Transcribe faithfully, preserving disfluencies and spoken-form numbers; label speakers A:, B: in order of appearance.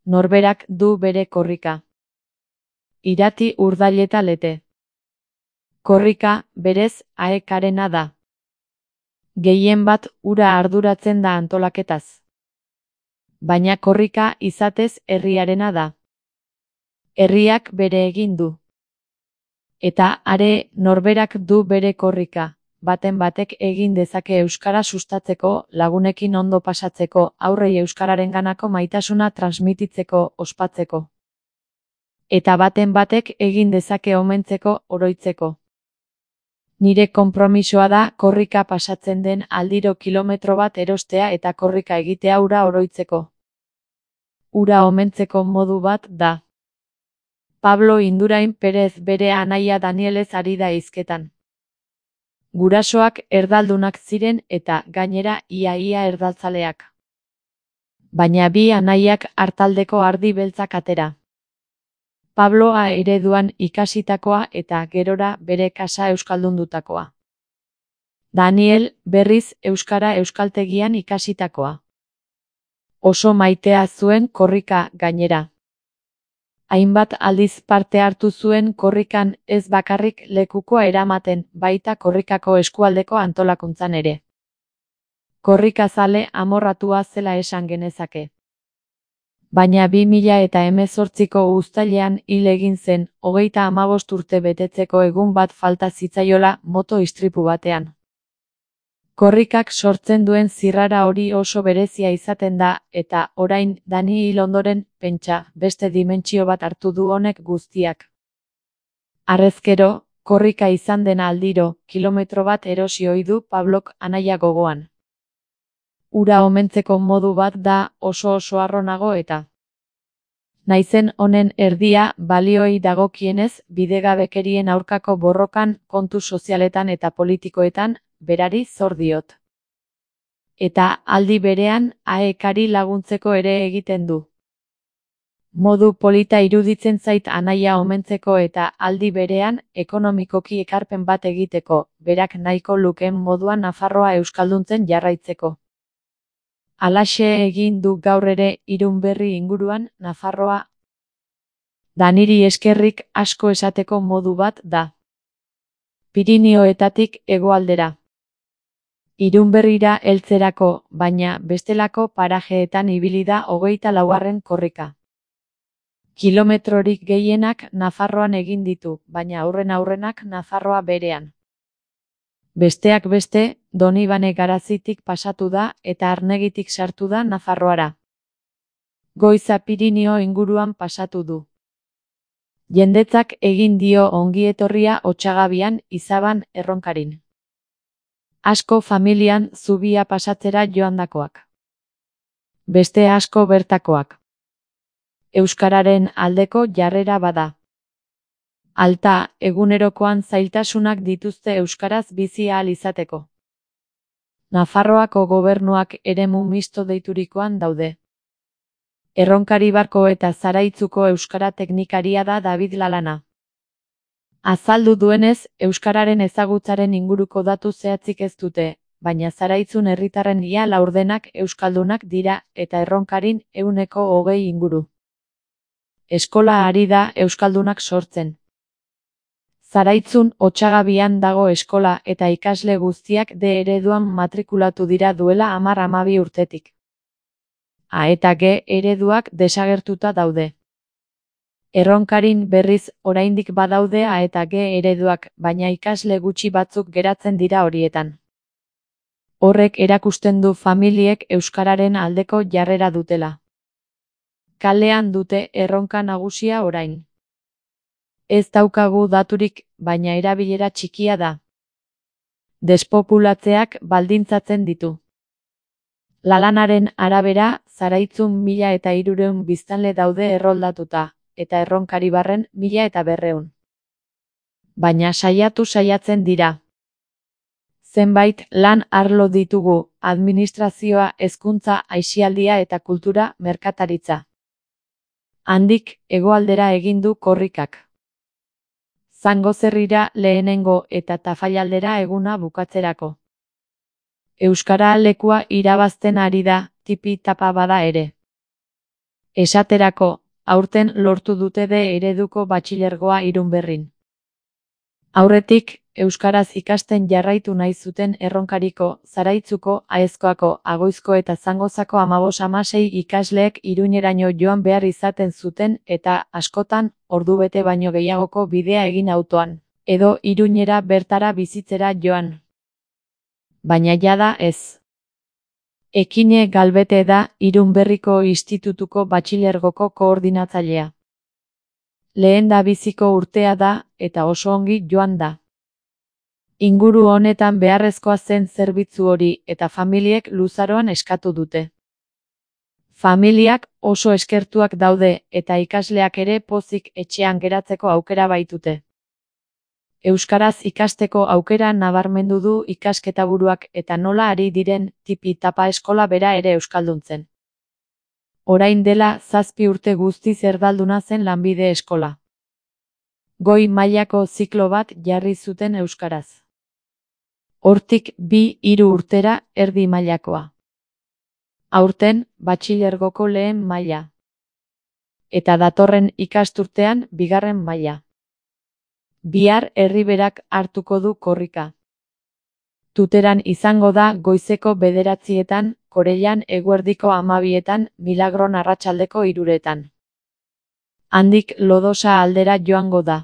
A: Norberak du bere korrika. Irati urdaileta lete. Korrika, berez, aekarena da. Gehien bat ura arduratzen da antolaketaz. Baina korrika izatez herriarena da. Herriak bere egin du. Eta are norberak du bere korrika, baten batek egin dezake euskara sustatzeko, lagunekin ondo pasatzeko, aurrei euskararenganako maitasuna transmititzeko, ospatzeko. Eta baten batek egin dezake omentzeko, oroitzeko. Nire konpromisoa da korrika pasatzen den aldiro kilometro bat erostea eta korrika egitea ura oroitzeko. Ura omentzeko modu bat da. Pablo Indurain Perez bere anaia Danielez ari da hizketan. Gurasoak erdaldunak ziren eta, gainera, ia-ia erdaltzaleak. Baina bi anaiak artaldeko ardi beltzak atera. Pabloa ereduan ikasitakoa eta gerora bere kasa euskaldundutakoa. Daniel, berriz, euskara euskaltegian ikasitakoa. Oso maitea zuen korrika gainera. Hainbat aldiz parte hartu zuen korrikan ez bakarrik lekukoa eramaten, baita korrikako eskualdeko antolakuntzan ere. Korrikazale amorratua zela esan genezake. Baina bi mila eta hemezortziko uztailean hil egin zen, hogeita hamabost urte betetzeko egun bat falta zitzaiola moto istripu batean. Korrikak sortzen duen zirrara hori oso berezia izaten da, eta orain Dani hil ondoren, pentsa, beste dimentsio bat hartu du honek guztiak. Harrezkero, korrika izan dena aldiro, kilometro bat erosi ohi du Pablok anaia gogoan. Ura omentzeko modu bat da, oso oso harronago eta. Naizen honen erdia, balioei dagokienez, bidegabekerien aurkako borrokan, kontu sozialetan eta politikoetan, berari zor diot. Eta aldi berean, aekari laguntzeko ere egiten du. Modu polita iruditzen zait anaia omentzeko eta aldi berean, ekonomikoki ekarpen bat egiteko, berak nahiko lukeen moduan Nafarroa euskalduntzen jarraitzeko. Halaxe egin du gaur ere Irunberri inguruan Nafarroa. Daniri eskerrik asko esateko modu bat da. Pirinioetatik hegoaldera. Irunberrira heltzerako, baina bestelako parajeetan ibili da hogeita laugarren korrika. Kilometrorik gehienak Nafarroan egin ditu, baina aurren aurrenak Nafarroa berean. Besteak beste, Donibane Garazitik pasatu da eta Arnegitik sartu da Nafarroara. Goiza Pirinio inguruan pasatu du. Jendetzak egin dio ongietorria Otsagabian, Izaban, Erronkarin. Asko familian zubia pasatzera joandakoak. Beste asko bertakoak. Euskararen aldeko jarrera bada. Alta, egunerokoan zailtasunak dituzte euskaraz bizi ahal izateko. Nafarroako gobernuak eremu misto deiturikoan daude. Erronkari barko eta Zaraitzuko euskara teknikaria da David Lalana. Azaldu duenez, euskararen ezagutzaren inguruko datu zehatzik ez dute, baina Zaraitzun herritarren ia laurdenak euskaldunak dira eta Erronkarin ehuneko hogei inguru. Eskola ari da euskaldunak sortzen. Zaraitzun Otsagabian dago eskola eta ikasle guztiak D ereduan matrikulatu dira duela hamar hamabi urtetik. A eta G ereduak desagertuta daude. Erronkarin berriz oraindik badaude A eta G ereduak, baina ikasle gutxi batzuk geratzen dira horietan. Horrek erakusten du familiek euskararen aldeko jarrera dutela. Kalean dute erronka nagusia orain. Ez daukagu daturik, baina erabilera txikia da. Despopulatzeak baldintzatzen ditu. Lalanaren arabera, Zaraitzun mila eta hirurehun biztanle daude erroldatuta, eta Erronkari barren mila eta berrehun. Baina saiatu saiatzen dira. Zenbait lan arlo ditugu, administrazioa, hezkuntza, aisialdia eta kultura, merkataritza. Handik, hegoaldera egin du korrikak. Zangozerrira lehenengo eta Tafallaldera eguna bukatzerako. Euskara lekua irabazten ari da, tipi tapa bada ere. Esaterako, aurten lortu dute D ereduko batxilergoa Irunberrin. Aurretik, euskaraz ikasten jarraitu nahi zuten Erronkariko, Zaraitzuko, Aezkoako, Agoizko eta Zangozako hamabos hamasei ikasleek Iruñeraino joan behar izaten zuten eta, askotan, ordubete baino gehiagoko bidea egin autoan, edo Iruñera bertara bizitzera joan. Baina jada ez. Ekine Galbete da Irunberriko Institutuko Batxilergoko koordinatzailea. Lehen da biziko urtea da, eta oso ongi joan da. Inguru honetan beharrezkoa zen zerbitzu hori eta familiek luzaroan eskatu dute. Familiak oso eskertuak daude eta ikasleak ere pozik etxean geratzeko aukera baitute. Euskaraz ikasteko aukera nabarmendu du ikasketaburuak eta nola ari diren tipi-tapa eskola bera ere euskalduntzen. Orain dela zazpi urte guztiz erdalduna zen lanbide eskola. Goi mailako ziklo bat jarri zuten euskaraz. Hortik bi hiru urtera erdi mailakoa. Aurten batxilergoko lehen maila. Eta datorren ikasturtean bigarren maila. Bihar Erriberak hartuko du korrika. Tuteran izango da goizeko bederatzietan, Korellan eguerdiko hamabietan, Milagron arratsaldeko hiruretan. Handik Lodosa aldera joango da.